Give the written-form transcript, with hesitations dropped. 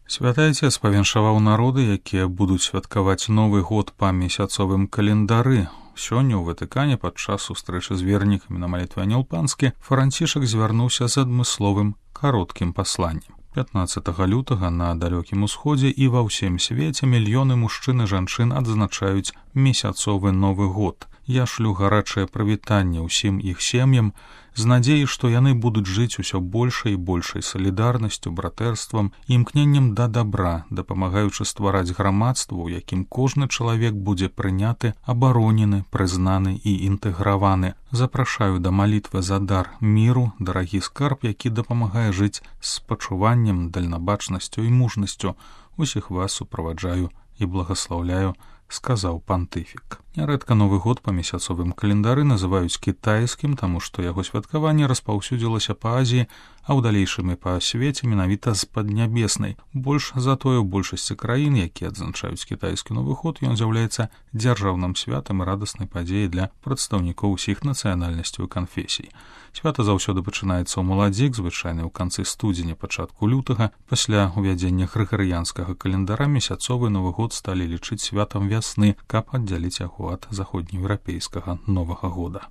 Святы Айцец павіншаваў народы, якія будуць святкаваць Новы год па месяцовым календары. Сёння ў Ватыкане падчас сустрэчы з вернікамі на малітве Анёл-Панскі Францішак звярнуўся з адмысловым кароткім пасланнем. 15 лютага на далёкім усходзе і ва ўсім свеце мільёны мужчын і жанчын адзначаюць месяцовы Новы год. Я шлю гарачае прывітанне ўсім іх сем'ям з надзеяй, што яны будуць жыць усё большай і большай салідарнасцю, братэрствам і імкненнем да дабра, дапамагаючы ствараць грамадства, у якім кожны чалавек будзе прыняты, абаронены, прызнаны і інтэграваны. Запрашаю да малітвы за дар міру, дарагі скарб, які дапамагае жыць з спачуваннем, дальнабачнасцю і мужнасцю. Усіх вас суправаджаю і благаслаўляю, сказаў пантыфік. Нярэдка Новы год па месяцовым календары называюць кітайскім, таму што яго святкаванне распаўсюдзілася па Азіі, а ў далейшым і па свеце менавіта з паднябеснай. Больш за тое, у большасці краін, якія адзначаюць кітайскі Новы год, ён з'яўляецца дзяржаўным святам і радаснай падзеяй для прадстаўнікоў усіх нацыянальнасцяў і канфесій. Свята заўсёды пачынаецца ў маладзік, звычайна ў канцы студзеня, пачатку лютага. Пасля ўвядзення грыгарыянскага календара месяцовы Новы год сталі лічыць святам вясны, каб аддзяліць яго ад заходнееўрапейскага Новага года.